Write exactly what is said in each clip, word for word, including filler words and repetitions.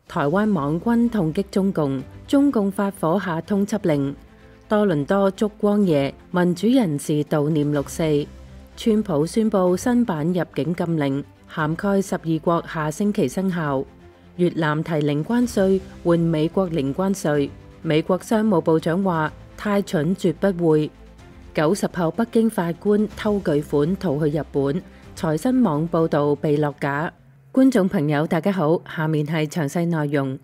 台灣網軍痛擊中共，中共發火下通緝令。多倫多燭光夜，民主人士悼念六四。川普宣布新版入境禁令，涵蓋十二國，下星期生效。越南提零關稅換美國零關稅。美國商務部長話：太蠢絕不會。九十後北京法官偷巨款逃去日本，財新網報道被落架。觀眾朋友大家好，下面係詳細內容。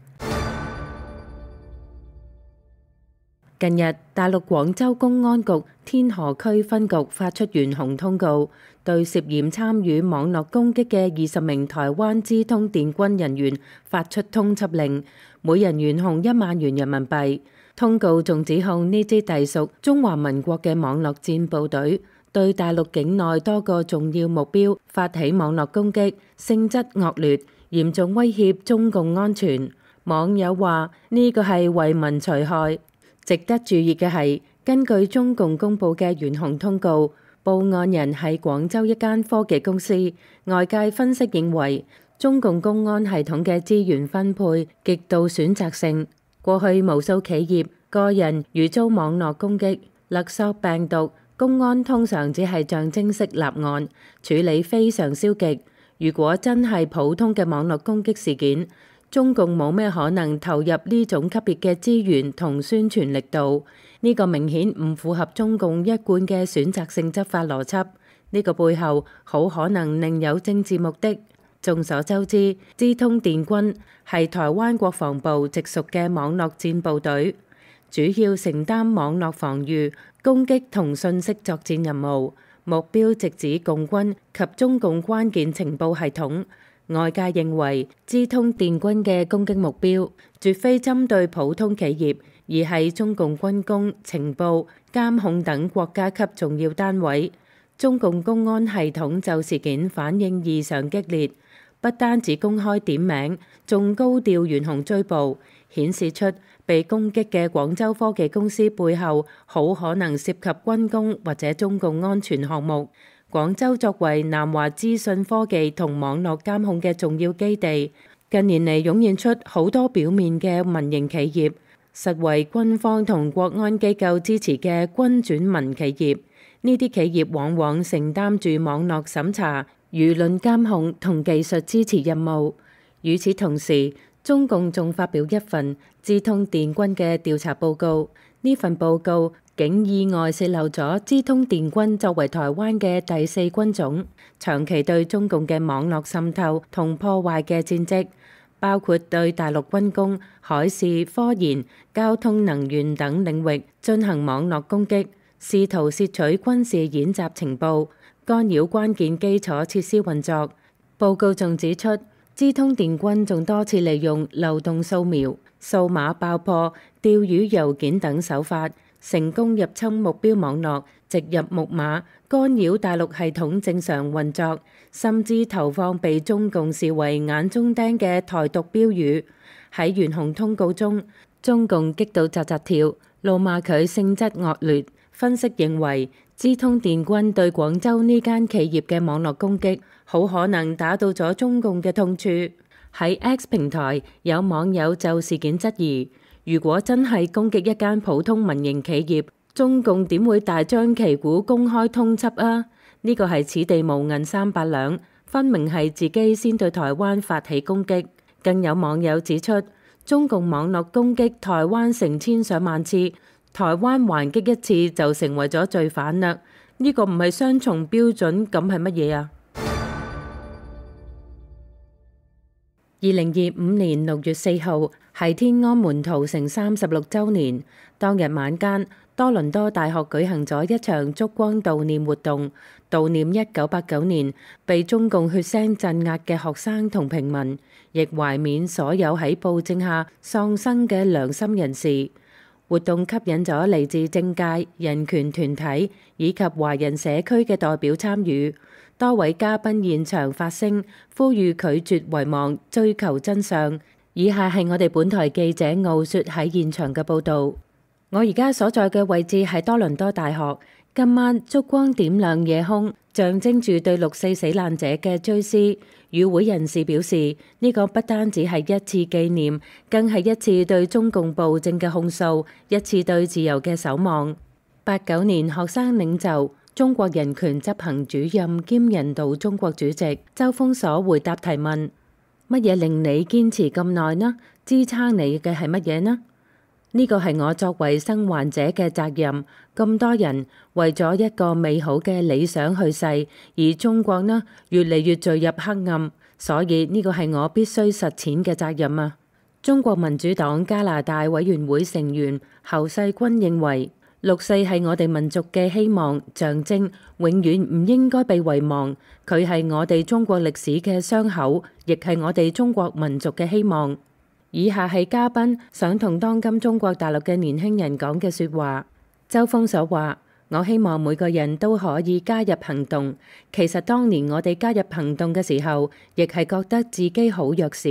近日，大陸廣州公安局天河區分局發出懸紅通告，對涉嫌參與網絡攻擊嘅二十名台灣資通電軍人員發出通緝令，每人懸紅一萬元人民幣。通告仲指控呢支隸屬中華民國嘅網絡戰部隊對大陸境內多個重要目標發起網絡攻擊，性質惡劣，嚴重威脅中共安全。網友話呢個係為民除害。值得注意嘅係，根據中共公佈嘅懸紅通告，報案人係廣州一間科技公司。外界分析認為，中共公安系統嘅資源分配極度選擇性。過去無數企業、個人如遭網絡攻擊、勒索病毒，公安通常只係象徵式立案，處理非常消極。如果真係普通嘅網絡攻擊事件，中共冇咩可能投入呢種級別嘅資源同宣傳力度。呢個明顯唔符合中共一貫嘅選擇性執法邏輯。呢個背後好可能另有政治目的。眾所周知，資通電軍係台灣國防部直屬嘅網絡戰部隊，主要承擔網絡防禦、攻擊同信息作戰任務，目標直指共軍及中共關鍵情報系統。外界認為，資通電軍嘅攻擊目標絕非針對普通企業，而係中共軍工、情報、監控等國家級重要單位。中共公安系統就事件反應異常激烈。不單止公開點名，仲高調懸紅追捕，顯示出被攻擊嘅廣州科技公司背後好可能涉及軍工或者中共安全項目。廣州作為南華資訊科技同網絡監控嘅重要基地，近年嚟湧現出好多表面嘅民營企業，實為軍方同國安機構支持嘅軍轉民企業。呢啲企業往往承擔住網絡審查、輿論監控同技術支持任務。與此同時，中共仲發表一份資通電軍嘅調查報告。呢份報告竟意外洩漏咗資通電軍作為台灣嘅第四軍種，長期對中共嘅網絡滲透同破壞嘅戰績，包括對大陸軍工、海事、科研、交通、能源等領域進行網絡攻擊，試圖竊取軍事演習情報，干擾關鍵基礎設施運作。報告仲指出，資通電軍仲多次利用漏洞掃描、數碼爆破、釣魚郵件等手法，成功入侵目標網絡，植入木馬，干擾大陸系統正常運作，甚至投放被中共視為眼中釘嘅台獨標語。喺懸紅通告中，中共激到扎扎跳，怒罵佢性質惡劣。分析認為，資通電軍對廣州呢間企業嘅網絡攻擊，好可能打到咗中共嘅痛處。喺 X 平台，有網友就事件質疑：如果真係攻擊一間普通民營企業，中共點會大張旗鼓公開通緝啊？呢個係此地無銀三百兩，分明係自己先對台灣發起攻擊。更有網友指出，中共網絡攻擊台灣成千上萬次，台灣還擊一次就成為咗罪犯啦。呢個唔係雙重標準，咁係乜嘢啊？二零二五年六月四號係天安門屠城三十六週年，當日晚間，多倫多大學舉行咗一場燭光悼念活動，悼念一九八九年被中共血腥鎮壓嘅學生同平民，亦懷緬所有喺暴政下喪生嘅良心人士。活動吸引咗嚟自政界、人權團體以及華人社區嘅代表參與。多位嘉賓現場發聲，呼籲拒絕遺忘，追求真相。以下係我哋本台記者傲雪喺現場嘅報導。我而家所在嘅位置係多倫多大學，今晚燭光點亮夜空，象徵住對六四死難者嘅追思。與會人士表示，呢個不單止係一次紀念，更係一次對中共暴政嘅控訴，一次對自由嘅守望。八九年學生領袖、中國人權執行主任兼人道中國主席周鋒鎖回答提問：乜嘢令你堅持咁耐呢？支撐你嘅係乜嘢呢？呢個係我作為生還者嘅責任。咁多人為咗一個美好嘅理想去世，而中國呢越嚟越墜入黑暗，所以呢個係我必須實踐嘅責任啊！中國民主黨加拿大委員會成員侯世軍認為，六四係我哋民族嘅希望象徵，永遠唔應該被遺忘。佢係我哋中國歷史嘅傷口，亦係我哋中國民族嘅希望。以下係嘉賓想同當今中國大陸嘅年輕人講嘅說話。周鋒鎖話：我希望每個人都可以加入行動。其實當年我哋加入行動嘅時候，亦係覺得自己好弱小，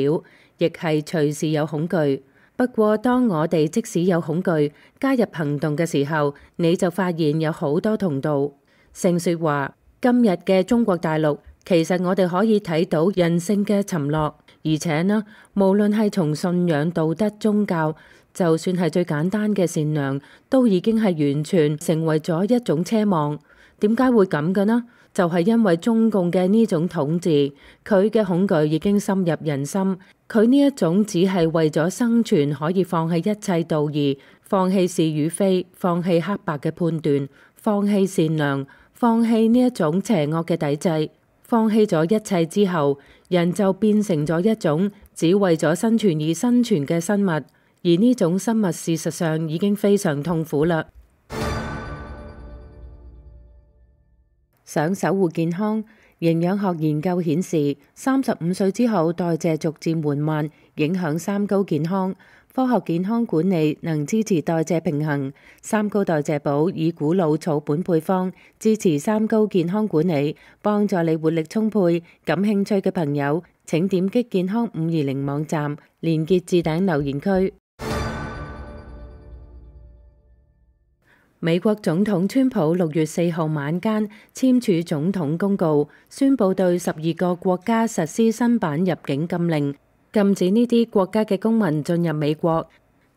亦係隨時有恐懼。不過當我哋即使有恐懼，加入行動嘅時候，你就發現有好多同道。盛說話：今日嘅中國大陸，其實我哋可以睇到人性嘅沉落。而且呢，無論係從信仰、道德、宗教，就算係最簡單嘅善良，都已經係完全成為咗一種奢望。點解會咁嘅呢？就係因為中共嘅呢種統治，佢嘅恐懼已經深入人心。佢呢一種只係為咗生存，可以放棄一切道義，放棄是與非，放棄黑白嘅判斷，放棄善良，放棄呢一種邪惡嘅抵制。放棄咗一切之後，人就變成咗一種只為咗生存而生存嘅生物，而呢種生物事實上已經非常痛苦啦。想守護健康，營養學研究顯示，三十五歲之後代謝逐漸緩慢，影響三高健康。科學健康管理能支持代謝平衡，三高代謝寶以古老草本配方支持三高健康管理，幫助你活力充沛。感興趣嘅朋友，請點擊健康五二零網站，連結置頂留言區。美國總統川普六月四號晚間簽署總統公告，宣布對十二個國家實施新版入境禁令，禁止呢啲國家嘅公民進入美國。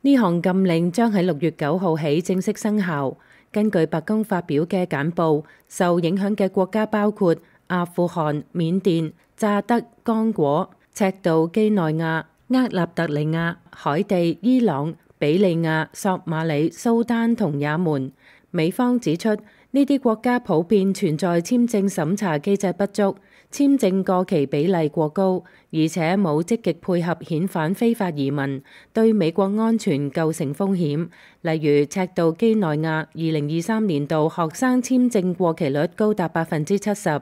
呢項禁令將喺六月九號起正式生效。根據白宮發表嘅簡報，受影響嘅國家包括阿富汗、緬甸、乍得、剛果、赤道幾內亞、厄立特里亞、海地、伊朗、比利亞、索馬里、蘇丹同也門。美方指出，呢啲國家普遍存在簽證審查機制不足、簽證過期比例過高，而且冇積極配合遣返非法移民，對美國安全構成風險。例如，赤道幾內亞二零二三年度學生簽證過期率高達百分之七十。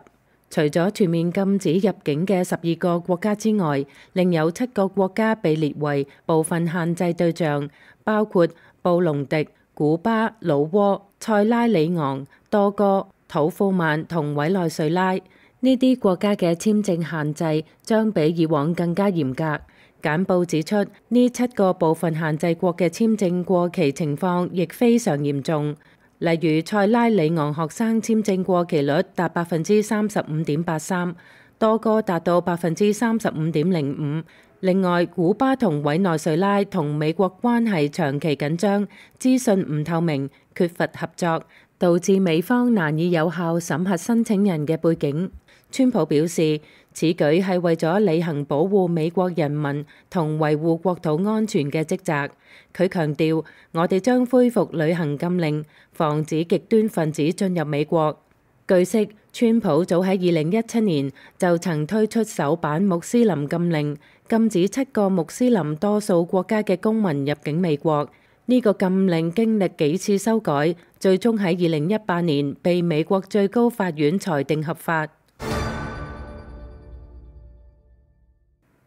除咗全面禁止入境嘅十二個國家之外，另有七個國家被列為部分限制對象，包括布隆迪、古巴、老撾、塞拉利昂、多哥、土庫曼同委內瑞拉。呢啲國家嘅簽證限制將比以往更加嚴格。簡報指出，呢七個部分限制國嘅簽證過期情況亦非常嚴重。例如，塞拉利昂學生簽證過期率達百分之三十五點八三，多哥達到百分之三十五點零五。另外，古巴同委內瑞拉同美國關係長期緊張，資訊唔透明，缺乏合作，導致美方難以有效審核申請人嘅背景。川普表示，此舉係為咗履行保護美國人民同維護國土安全嘅職責。佢強調，我哋將恢復履行禁令，防止極端分子進入美國。據悉，川普早喺二零一七年就曾推出首版穆斯林禁令，禁止七個穆斯林多數國家嘅公民入境美國。呢個禁令經歷幾次修改，最終喺二零一八年被美國最高法院裁定合法。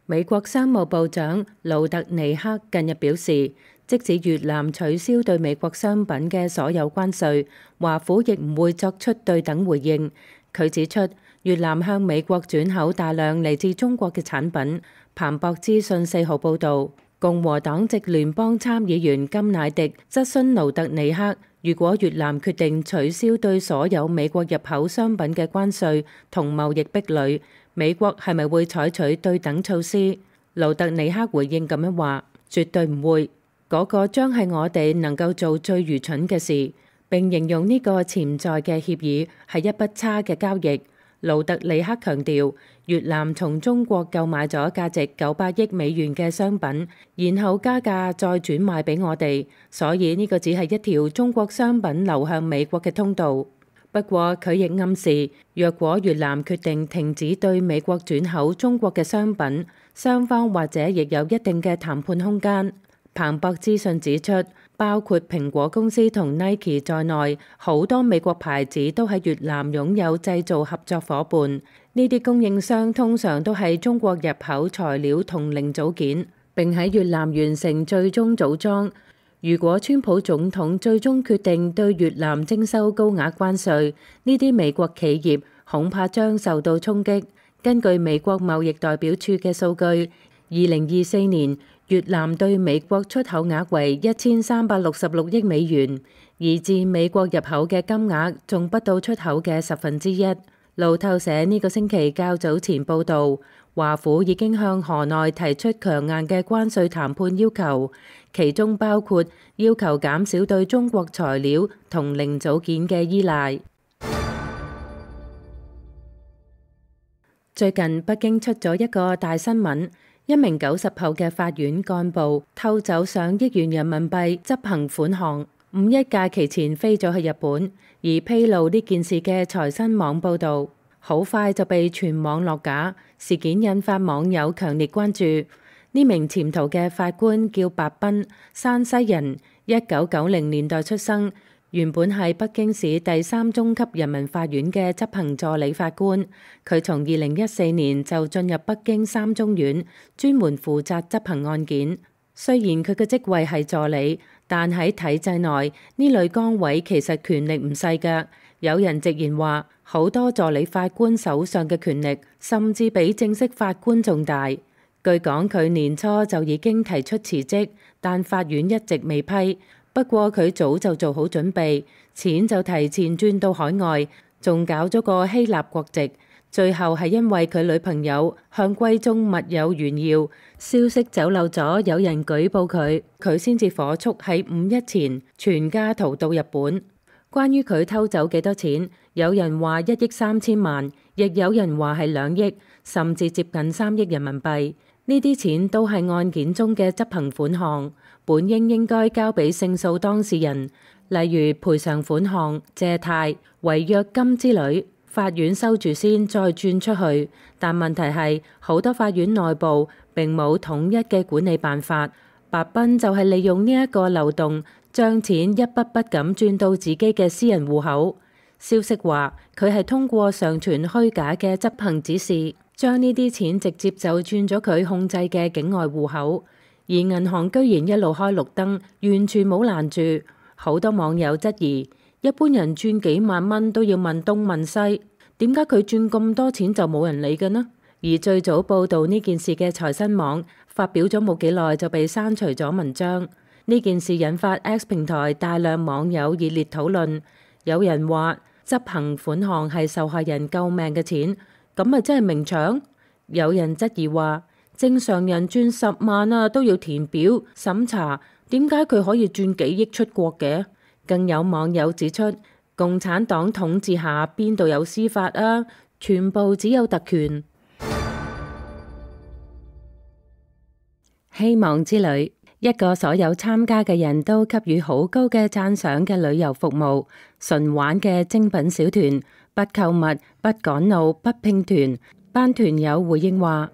美國商務部長盧特尼克近日表示，即使越南取消對美國商品嘅所有關稅，華府亦唔會作出對等回應。佢指出，越南向美國轉口大量嚟自中國嘅產品。彭博資訊四號報導，共和黨籍聯邦參議員甘乃迪質詢盧特尼克，如果越南決定取消對所有美國入口商品嘅關稅同貿易壁壘，美國係咪會採取對等措施？盧特尼克回應咁樣話：絕對唔會，嗰個將係我哋能夠做最愚蠢嘅事。並形容呢個潛在嘅協議係一筆差嘅交易。盧特尼克強調，越南從中國購買咗價值九百億美元嘅商品，然後加價再轉賣俾我哋，所以呢個只係一條中國商品流向美國嘅通道。不過佢亦暗示，若果越南決定停止對美國轉口中國嘅商品，雙方或者亦有一定嘅談判空間。彭博資訊指出，包括蘋果公司同 Nike 在內，好多美國牌子都喺越南擁有製造合作夥伴。呢啲供應商通常都係中國入口材料同零組件，並喺越南完成最終組裝。如果川普總統最終決定對越南徵收高額關稅，呢啲美國企業恐怕將受到衝擊。根據美國貿易代表處嘅數據，二零二四年越南對美國出口額為一千三百六十六億美元，而自美國入口嘅金額仲不到出口嘅十分之一。路透社呢個星期較早前報導，華府已經向河內提出強硬嘅關稅談判要求，其中包括要求減少對中國材料同零組件嘅依賴。最近北京出咗一個大新聞。一名九十後嘅法院幹部偷走上億元人民幣執行款項，五一假期前飛咗去日本，而披露呢件事嘅財新網報導，好快就被全網落架。事件引發網友強烈關注。呢名潛逃嘅法官叫白斌，山西人，一九九零年代出生。原本係北京市第三中級人民法院嘅執行助理法官，佢從二零一四年就進入北京三中院，專門負責執行案件。雖然佢嘅職位係助理，但喺體制內呢類崗位其實權力唔細㗎。有人直言話，好多助理法官手上嘅權力甚至比正式法官仲大。據講，佢年初就已經提出辭職，但法院一直未批。不過佢早就做好準備，錢就提前轉到海外，仲搞咗個希臘國籍。最後係因為佢女朋友向閨中密友炫耀，消息走漏咗，有人舉報佢，佢先至火速喺五一前全家逃到日本。關於佢偷走幾多錢，有人話一億三千萬，亦有人話係兩億，甚至接近三億人民幣。呢啲錢都係案件中嘅執行款項，本應應該交俾勝訴當事人，例如賠償款項、借貸、違約金之類，法院收住先，再轉出去。但問題係，好多法院內部並冇統一嘅管理辦法。白斌就係利用呢一個漏洞，將錢一筆筆咁轉到自己嘅私人戶口。消息話，佢係通過上傳虛假嘅執行指示，將呢啲錢直接就轉咗佢控制嘅境外戶口，而銀行居然一路開綠燈，完全冇攔住。好多網友質疑，一般人轉幾萬蚊都要問東問西，點解佢轉咁多錢就冇人理嘅呢？而最早報導呢件事嘅財新網發表咗冇幾耐就被刪除咗文章。呢件事引發 X 平台大量網友熱烈討論，有人話執行款項係受害人救命嘅錢，咁咪真係明搶？有人質疑話，正常人轉十萬啊都要填表審查，點解佢可以轉幾億出國嘅？更有網友指出，共產黨統治下邊度有司法啊？全部只有特權。希望之旅，一個所有參加嘅人都給予好高嘅讚賞嘅旅遊服務，純玩嘅精品小團，不購物、不趕路、不拼團。班團友回應話：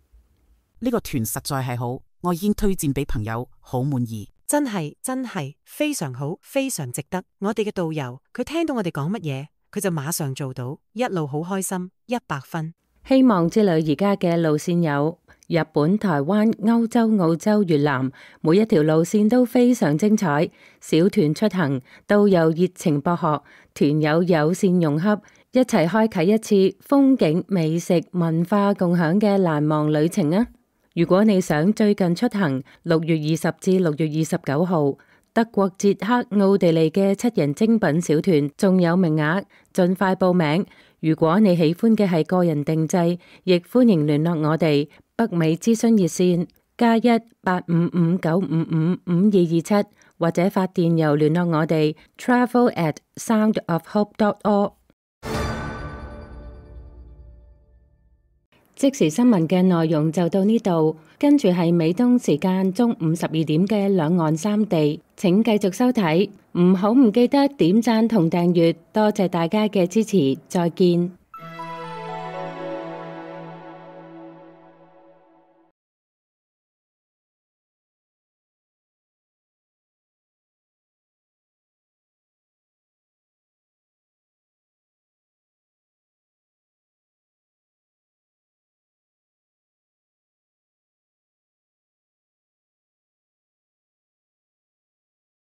呢個團實在係好，我已經推薦俾朋友，好滿意。真係真係非常好，非常值得。我哋嘅導遊佢聽到我哋講乜嘢，佢就馬上做到，一路好開心，一百分。希望之旅而家嘅路線有日本、台灣、歐洲、澳洲、越南，每一條路線都非常精彩。小團出行，導遊熱情博學，團友友善融洽，一齊開啟一次風景、美食、文化共享嘅難忘旅程啊！如果你想最近出行，六月二十至六月二十九號德國、捷克、奧地利嘅七人精品小團仲有名額，盡快報名。如果你喜歡嘅係個人定製，亦歡迎聯絡我哋。北美諮詢熱線加一八五五九五五五二二七，或者發電郵聯絡我哋 travel at soundofhope dot org。即時新聞嘅內容就到呢度，跟住係美東時間中午十二點嘅兩岸三地，請繼續收睇，唔好唔記得點讚同訂閱，多謝大家嘅支持，再見。